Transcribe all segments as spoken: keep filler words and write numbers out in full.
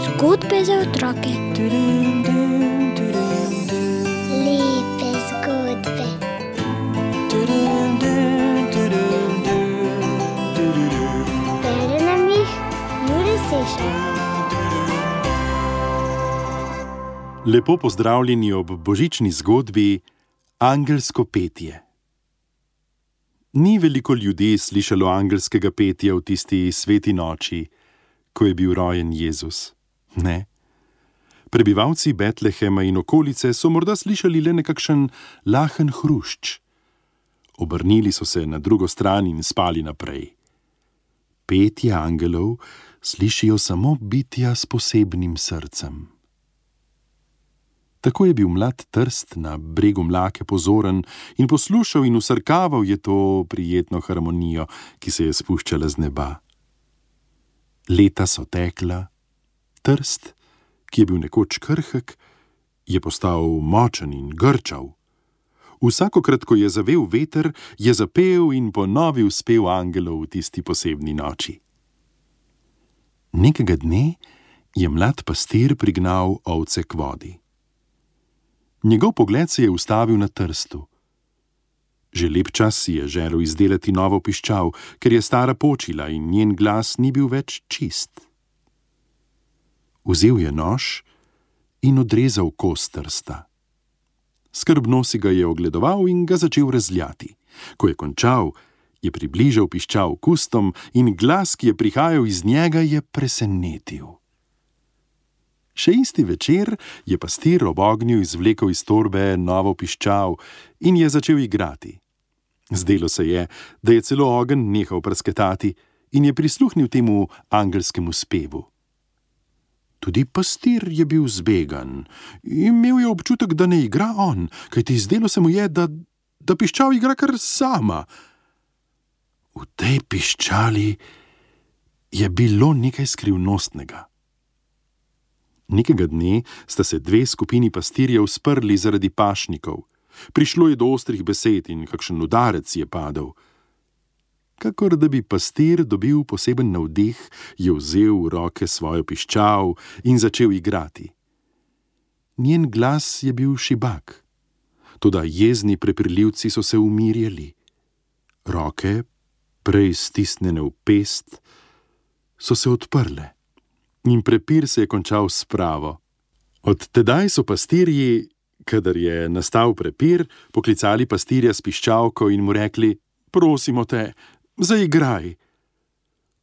Zgodbe za otroke. Lepe zgodbe. Bere nam jih Jure Sešar. Lepo pozdravljeni ob božični zgodbi Angelsko petje. Ni veliko ljudi slišalo angelskega petja v tisti sveti noči, ko je bil rojen Jezus. Ne. Prebivalci Betlehema in okolice so morda slišali le nekakšen lahen hrušč. Obrnili so se na drugo stran in spali naprej. Petje angelov slišijo samo bitja s posebnim srcem. Tako je bil mlad Trst na bregu Mlake pozoren in poslušal in usrkaval je to prijetno harmonijo, ki se je spuščala z neba. Leta so tekla, Trst, ki je bil nekoč krhek, je postal močen in grčav. Vsakokrat, ko je zavel veter, je zapel in ponovil spev angelov v tisti posebni noči. Nekega dne je mlad pastir prignal ovce k vodi. Njegov pogled se je ustavil na Trstu. Že lep čas si je želel izdelati novo piščal, ker je stara počila in njen glas ni bil več čist. Vzel je nož in odrezal kos Trsta. Skrbno si ga je ogledoval in ga začel razljati. Ko je končal, je približal piščal k ustom in glas, ki je prihajal iz njega, je presenetil. Še isti večer je pastir ob ognju izvlekel iz torbe novo piščal in je začel igrati. Zdelo se je, da je celo ogenj nehal prasketati in je prisluhnil temu angelskemu spevu. Tudi pastir je bil zbegan. Imel je občutek, da ne igra on, kajti zdelo se mu je, da, da piščal igra kar sama. V tej piščali je bilo nekaj skrivnostnega. Nekega dne sta se dve skupini pastirjev sprli zaradi pašnikov. Prišlo je do ostrih besed in kakšen udarec je padel. Kakor da bi pastir dobil poseben navdih, je vzel v roke svojo piščal in začel igrati. Njen glas je bil šibak, toda jezni prepirljivci so se umirjali. Roke, prej stisnjene v pest, so se odprle. In prepir se je končal s spravo. Od tedaj so pastirji, kadar je nastal prepir, poklicali pastirja s piščalko in mu rekli: prosimo te, zaigraj.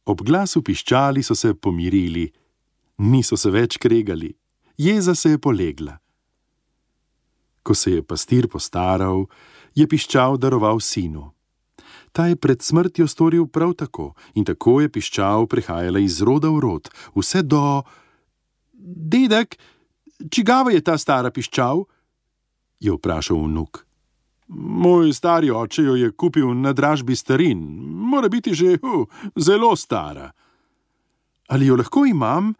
Ob glasu piščali so se pomirili, niso se več kregali, jeza se je polegla. Ko se je pastir postaral, je piščal daroval sinu. Ta je pred smrtjo storil prav tako in tako je piščal prehajala iz roda v rod, vse do... Dedek, čigava je ta stara piščal? Je vprašal vnuk. Moj stari oče jo je kupil na dražbi starin, mora biti že uh, zelo stara. Ali jo lahko imam?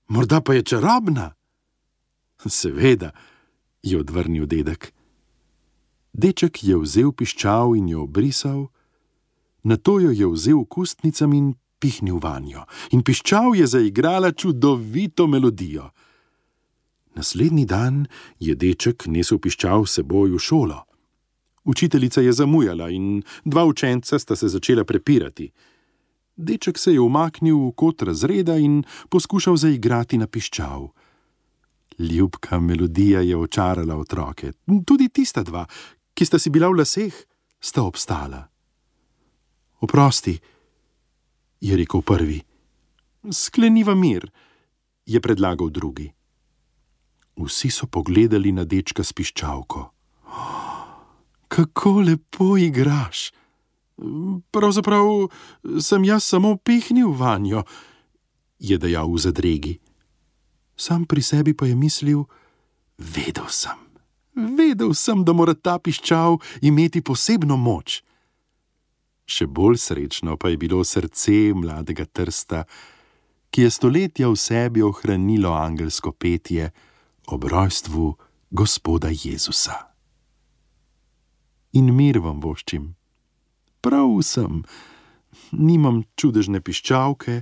Morda pa je čarobna? Seveda, je odvrnil dedek. Deček je vzel piščal in jo obrisal, nato jo je vzel k ustnicam in pihnil vanjo. In piščal je zaigrala čudovito melodijo. Naslednji dan je deček nesel piščal s seboj v šolo. Učiteljica je zamujala in dva učenca sta se začela prepirati. Deček se je umaknil v kot razreda in poskušal zaigrati na piščal. Ljubka melodija je očarala otroke. Tudi tista dva, ki sta si bila v laseh, sta obstala. Oprosti, je rekel prvi. Skleniva mir, je predlagal drugi. Vsi so pogledali na dečka s piščalko. Kako lepo igraš! Pravzaprav sem jaz samo pihnil vanjo, je dejal v zadregi. Sam pri sebi pa je mislil, vedel sem, vedel sem, da mora ta piščal imeti posebno moč. Še bolj srečno pa je bilo srce mladega Trsta, ki je stoletja v sebi ohranilo angelsko petje ob rojstvu Gospoda Jezusa. In mir vam voščim. Prav vsem, nimam čudežne piščalke,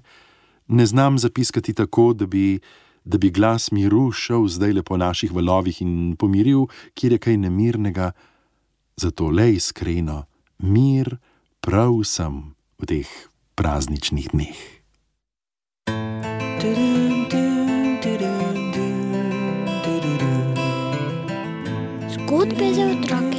ne znam zapiskati tako, da bi, da bi glas miru šel zdajle po naših valovih in pomiril, kjer je kaj nemirnega. Zato le iskreno, mir prav vsem v teh prazničnih dneh. Zgodbe za otroke.